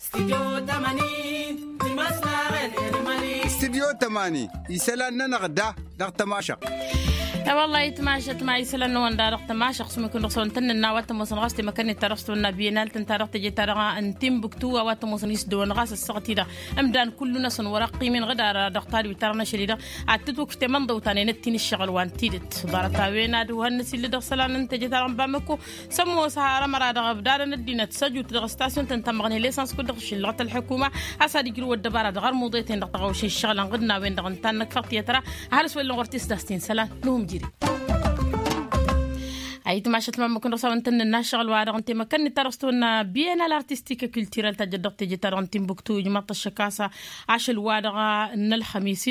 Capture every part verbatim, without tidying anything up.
Stidyo tămani isălan-nănăɣ da dăɣ-tămašăɣt. E-wălla-hi tămašăɣt ma isălan-năwăn da dăɣ-tămašăɣt s-măkun dăɣ-săwăn tăn-nǝnna a-wa t-ămoosăn ɣas temăkănnet-ta-dăɣ s-tăwănna biyănal tăn-ta-dăɣ teje-ta-dăɣ n-timbuktu a-wa t-ămoosăn isdăwăn ɣas ăssaɣăt-i-dăɣ ǝmdan kullu-năsăn wăr-ăqqim-in ɣǝd-arăɣ dăɣ-tadwit-ta-dăɣ n-ašăl-i-dăɣ ad-tǝtwǝkf temănḍăwt ta n-enăt-in ǝššăɣǝl wa n-tidǝt. Ḍarăt-a-wen ad-uhăn n-asillă dăɣ-isălan n-teje-ta-dăɣ n-bamăko s-ămoos har ămăra dăɣ-ăbdadăn ăddinăt s-ăjut dăɣ-stasyon-tăn ta n-măɣney l-esans kud-dăɣ šillăɣăt ălḥukuma a-s ad-ijrǝw ăddăbara dăɣ-armuḍe-ten-dăɣ tăɣawšen ǝššăɣǝlăn ɣǝd n-a-wen-dăɣ ǝnta n-năkfăɣ tiyătra. Ăhalǝs wăr-illa ɣur-t s-daɣ s-ti n-isălan n-uhǝmjiri. Ayǝtmašăt ma ămmăkăn dăɣ-s a-wen tăn-nǝnna ăššăɣǝl-wa-dăɣ n-temăkănnet ta dăɣ-s tăwănna biyănal artistik kultirăl ta jăt dăɣ-teje-ta-dăɣ n-timbuktu ijmaḍ-t ăššăk a-s ašăl-wa-dăɣ n-ălxămis.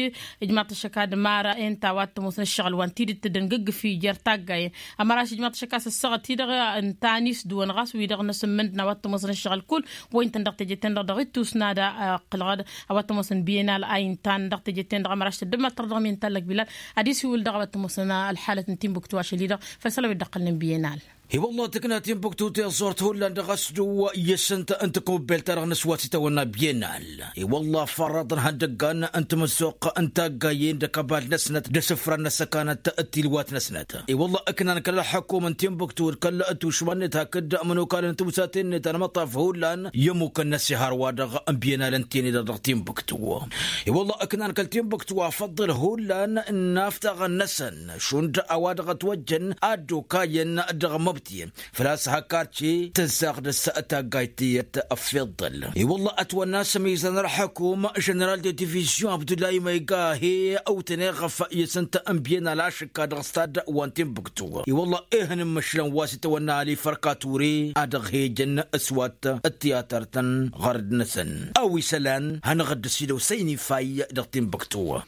Ijmaḍ-t ăššăk ad-mara enta wa t-ămoosăn ǝššăɣǝl wa n-tidǝt tǝddǝngǝggǝfi jer-taggayen. Ămăraš ijmaḍ-t ăššăk a-s ăssaɣăt-i-dăɣ ǝnta n-isdǝwăn ɣas wi-dăɣ n-asǝmmǝnd n-a-wa t-ămoosăn ǝššăɣǝl kull wa intăn dăɣ-teje-ten-dăɣ dăɣ-ittus n-ad-ăqqǝlăɣ-dd a-wa t-ămoosăn biyănal a intan dăɣ-teje-ten-dăɣ ămăraš tăddǝmăttăr dăɣ-mi n-tallăk bilal ad-isiwǝl dăɣ-a-wa t-ămoosăn ălxalăt n-timbuktu ašăl-i-dăɣ făll-isălan wi dd-ăqqălnen biyănal. I-wălla tǝkna timbuktu tiẓẓurt hullan dăɣ-asdǝw i-asǝnt n-tăkăwăbbel-ta-dăɣ n-aswat s-itawănna biyănal. I-wălla fărrăḍăn ihăndăggan n-tamăzzuɣt n-taggayen d-akăbal-năsnăt d-asǝfran n-asăkanăt d-tilwat-năsnăt. I-wălla ǝknan kăl-ălxăkum n-timbuktu d-kăl-tušma-net hakd ămănokal n-tiwsaten-net anmăṭṭaf hullan i-ămmukăn n-asihar-wa-dăɣ n-biyănal ǝnta-en-dăɣ dăɣ-timbuktu. I-wălla ǝknan kăl-timbuktu afăḍḍăl hullan n-aftaɣăn-năsăn šund a-wa dăɣ-ătwăjjăn ad-dd-okayăn dăɣ-măbtiyăn. Făl-a-s hak arce tǝnsaɣ dăr-s taggayt tiyyăt ăffiḍăl. I-wălla ătwănna s-ămizan ălḥăkum ženeral de divizyon abdullahi ma iga he-awtăn eɣăf i-asǝnt n-biyănal ašǝkka dăɣ-s taddăɣ wa n-timbuktu. I-wălla ehăn n-imǝšlăn wa s-itawănna ali fărkature a dăɣ-he-ijăn ăswat ăttiyatăr-tăn ɣărăd-năsăn a-wa isălan hanăɣ-dd-ăsidăw săynifay dăɣ-timbuktu.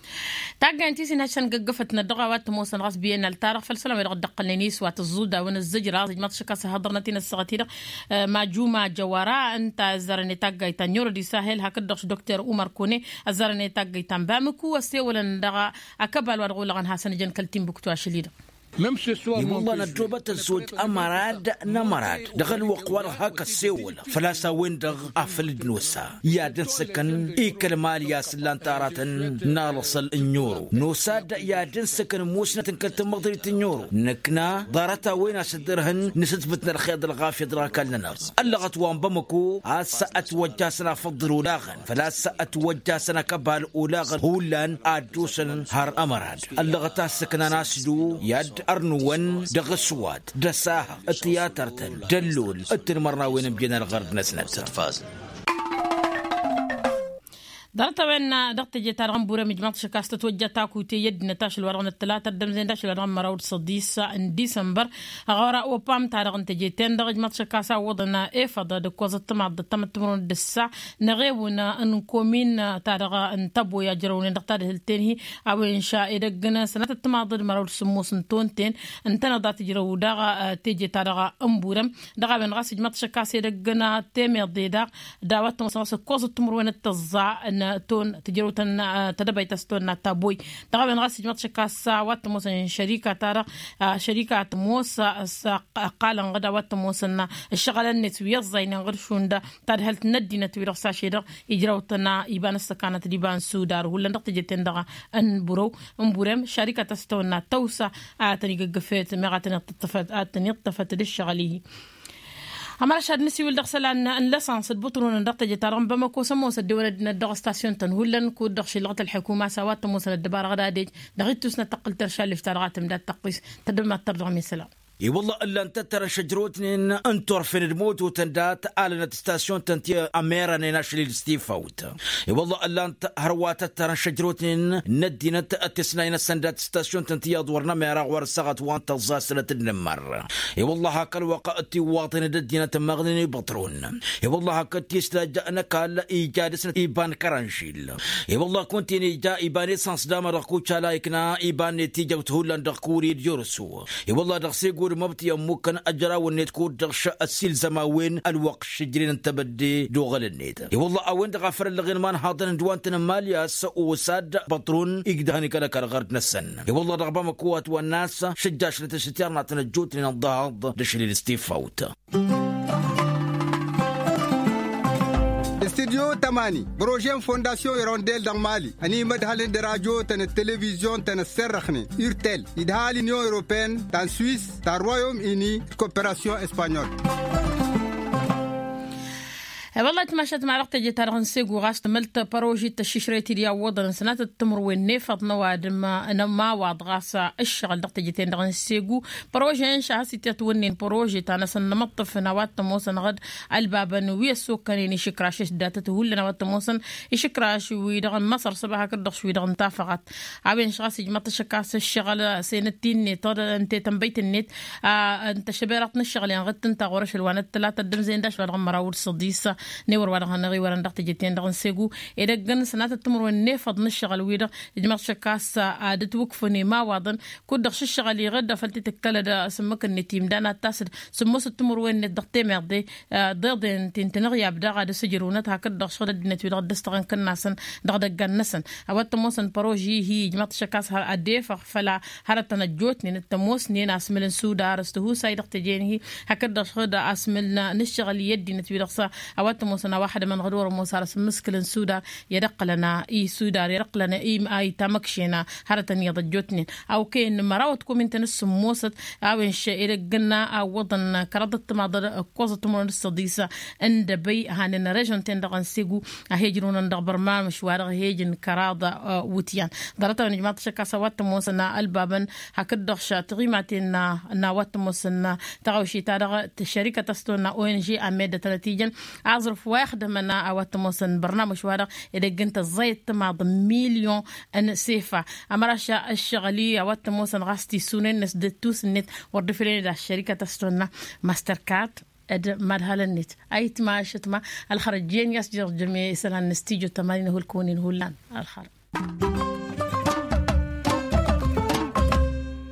Taggayăn ti s-inhăššăn găggăfătnăt dăɣ-a-wa t-ămoosăn ɣas biyănal-ta-dăɣ făll-isălan wi-dăɣ dd-ăqqălnen iswat ăẓẓudawăn ăzzăjraẓ ijmaḍ-t ašăk a-s ăhhăḍărnăt-in ăssaɣăt-i-dăɣ. Majuma jăwăra ǝnta ăzzarăn i-taggayt ta n-yurăd isahel hakd-dăɣ s-dokter umăr kone ăzzarăn i-taggayt ta n-bamǝku ăssewălăn dăɣ-akăbal wa dăɣ-olăɣăn hasăn-ǝjăn kăl-timbuktu ašăl-i-dăɣ. I-wălla năddoobăt ăzzoj ămărad n-ămărad dăɣ-ălwăqq-wa-dăɣ hak ăssewăl făl-a-s a-wen-dăɣ afăl dd-nosa i-ad-ǝnsǝkăn i-kăl-mali a-s ǝllan taratăn n-alăṣăl n-oro nosa-dd i-ad-ǝnsǝkăn musnăt n-kăl-tămmăḍrit n-oro nǝkna ḍarăt-a-wen a-s dd-ărhǝn nǝsǝtbǝt n-ălxeḍ ălɣafyăt dăɣ-ăkall-nănăɣ. Ăllăɣăt wa n-bamăko a-s ătwăjjasăn afăḍḍăl olaɣăn făl-a-s ătwăjjasăn akăbal olaɣăn hullan ad-dd-osăn har ămărad. Ăllăɣăt a ǝssǝknan asdu i-ad-ărnǝwăn dăɣ-ăswat d-ăsahăɣ d-tiyatăr-tăn d-ăllol d-tinmărnawen n-biyănal ɣărd-năsnăt. Ḍarăt-a-wen dăɣ-teje-ta-dăɣ n-burăm ijmaḍ-t ašăk a-s tătwăjja takute i-ăddinăt ašăl-wa-dăɣ n-ăttălata ăddămzen d-ašăl-wa-dăɣ n-măraw d-săḍis n-disămbăr. Ɣur-a opam-ta-dăɣ n-teje-ten-dăɣ ijmaḍ-t ašăk a-s awwăḍăn efăḍ d-ǝkkoẓăt timaḍt d-tamăttămrăwăn d-ǝssa n-eɣewǝn n-komin-ta-dăɣ n-tăboy a jărăwnen dăɣ-tadhǝlt-en-hi. A-wen šad edăgg n-sănatăt timaḍ d-măraw d-sǝmmos n-tonten ǝntăneḍ a tǝjrăw daɣ teje-ta-dăɣ n-burăm. Dăɣ-a-wen ɣas ijmaḍ-t ašăk a-s edăgg n-temeḍe daɣ d-a-wa t-ămoosăn ɣas ǝkkoẓăt timǝrwen d-tăẓẓa n-ton tǝjrăwt n-tedăbayt a-s tonna taboy. Dăɣ-a-wen ɣas ijmaḍ-t ašăk a-s a-wa t-ămoosăn šărika-ta-dăɣ šărika tămoos s-ăqqalăn ɣǝd a-wa t-ămoosăn ǝššăɣǝlăn-net wi ăẓẓaynen ɣǝd šund tadhǝlt n-ăddinăt-wi-dăɣ s-ašăl-i-dăɣ ijrăwtăn iba n-ăssăkanăt d-iba n-sudar hullan dăɣ-teje-ten-dăɣ n-burăw n-burem šarikat a-s tăwănna tăwsa a tăn-igǝggǝfet meɣ a tăn-iṭṭăfăt d-ǝššăɣǝl-i. Ămăra šad nǝsiwǝl dăɣ-isălan n-lăsăns d-bǝṭrun dăɣ-teje-ta-dăɣ n-bamăko s-ămoos ăddewăn ăddinăt dăɣ-stasyon-tăn hullan kud-dăɣ šillăɣăt ălḥukuma a-s a-wa t-ămoosăn ăddăbara dăɣ-ad-ej dăɣ-ittus n-ad-tăqqǝl terša ăllif-ta-dăɣ a tǝmdad tăqqis tăddămad tărdăɣ mi isălan. I-wălla ǝllan-t ăttărăn šăjrotnen n-turfen d-mototăn dat alănăt stasyon-tăn ti ămerănen ašăl-i-dăɣ s-tifawt. I-wălla ǝllan-t hărwa tăttărăn šăjrotnen n-ăddinăt tesnay-năsăn dat stasyon-tăn ti iyyăḍ wăr nămera ɣur-ăssaɣăt wa n-tăẓẓa s-sănăt d-inǝmmăr. I-wălla hak ălwăqq tiwwaḍen d-ăddinăt ămmaɣnen i-băṭrun. I-wălla hakd tisdaj n-ăkall ija dăr-snăt iba n-kărănžil. I-wălla kunta-en ija iba n-esăns d-ama dăɣ-kucala ikna iba-net ijăwt hullan dăɣ-kuri d-yorsu. I-wălla dăɣ-segud măbti ămmukkăn ăjrawăn-net kud-dăɣ š-ăssiilzăm a-wen ălwăqq šǝjren n-tebădde d-oɣăl-net. I-wălla a-wen-dăɣ a făl ăllăɣen imanhaḍăn d-wa n-tăn-ămmaliyas osad băṭrun igdăhăn ikăl-ăkall ɣărd-năsăn. I-wălla dăɣ-bamăko a ătwănna a-s šăjjašnăt ašăt i-ărnaḍ tăn-ăjjootnen ănḍahăḍ d-ašăl-i-dăɣ s-tifawt. Studio tămani projet n-fondasyon irondel dăɣ-mali ănimădhălăn d-radio-tăn d-televizyon-tăn ăsserrăxnen urtel idhal union europeen ta n-swis ta n-royaume uni d-koperasyon espanyol. Wăllah timašat ma dăɣ-teje-ta-dăɣ n-segu ɣas tămălt părožit tăššišrăyăt-dd i-awwăḍăn n-sănatăt timǝrwen n-efăḍ n-ăwadǝm n-ămawaḍ ɣas ǝššăɣǝl dăɣ-teje-ten-dăɣ n-segu. Părože n-šahăs itătwǝnnen părože ta n-asăn nǝmăṭṭǝf n-a-wa t-ămoosăn ɣǝd ălbabăn wi ăssokănen išǝkraš s-datăt hullan a-wa t-ămoosăn išǝkraš-wi-dăɣ n-măṣăr s-ăba hakd-dăɣ wi-dăɣ n-tafăɣat. A-wen šăɣ a-s ijmăḍ-t ašăk a-s ǝššăɣǝl săynăt-ti-net tănbăyt-net n-tăšăberaḍt n-ǝššăɣǝl-en ɣǝd tǝnta ɣur-ašăl wa n-ăttăla tăddǝmzăyăn d-ašăl wa dăɣ-măraw d-săḍis. N-ewăr wa dăɣ-hanăɣ-iwărăn dăɣ-teje-ten-dăɣ n-segu edăgg n-sănatăt timǝrwen n-efăḍ n-ǝššăɣǝl-wi-dăɣ ijmăḍ-t ašăk a-s ad-ǝtwǝkfǝn imawaḍăn kud-dăɣ šǝššăɣǝl-i ɣǝd făl t-tǝkkălăd s-ǝmmǝk-net imdan ad-tasǝd sǝmmosăt timǝrwen-net dăɣ-temeḍe. Deḍen ti n-tinăɣyab daɣ ad-ăsǝjrǝwnăt hakd-dăɣ šăɣǝl ăddinăt-wi-dăɣ dd-ăstăɣăn kǝnnasăn dăɣ-idăggan-năsăn. A-wa t-ămoosăn păroži-hi ijmăḍ-t ašăk a-s ad-efăɣ făll-a hărătăn ăjjootnen d-tămoosnen asmǝl n-sudar s-tihusay dăɣ-tejen-hi hakd-dăɣ šăɣǝl asmǝl n-ǝššăɣǝl i-ăddinăt-wi-dăɣ s-a-wa t-ămoosăn a-wa hădămăn ɣǝd wăr-ămoos ar asǝmmǝskǝl n-sudar i-ad-ăqqǝlăn i-sudar i-ad-ăqqǝlăn i-ma ittamăkšen hărătăn iyyăḍ ăjjootnen. Awkăyăn n-măraw ătkumin-tăn s-sǝmmosăt a-wen šăy edăgg n-a ǝwwăḍăn kăraḍăt timaḍăl ǝkkoẓăt timǝrwen d-săḍis n-dăbăy hanen režon-ten-dăɣ n-segu. A he-ǝjrǝwăn dăɣ-bărmamǝš wa dăɣ-he-ǝjǝn kăraḍ wutyan. Ḍarăt-a-wen ijmaḍ-t ašăk a-s a-wa t-ămoosăn ălbabăn hakd-dăɣ tiɣimaten n-a wa t-ămoosăn tăɣawše-ta-dăɣ tăššărikăt a-s tonna ong amed tănăt-ijăn aẓrǝf wa ixdămăn a-wa t-ămoosăn bărnamǝš-wa-dăɣ edăgg n-tăẓẓayăt timaḍ n-milyon n-sefa. Ămăraš ǝššăɣǝl-i a-wa t-ămoosăn ɣas tisunen-năs d-tusǝnnet wăr dd-ifǝlen d-aššărikăt a-s tonna mastercard d-madhălăn-net. Ayǝtma ašǝtma ălxărăt jen i-a-s jer-jăme isălan n-studyo tămani n-ahulkăwăn-in hullan. Ălxărăt.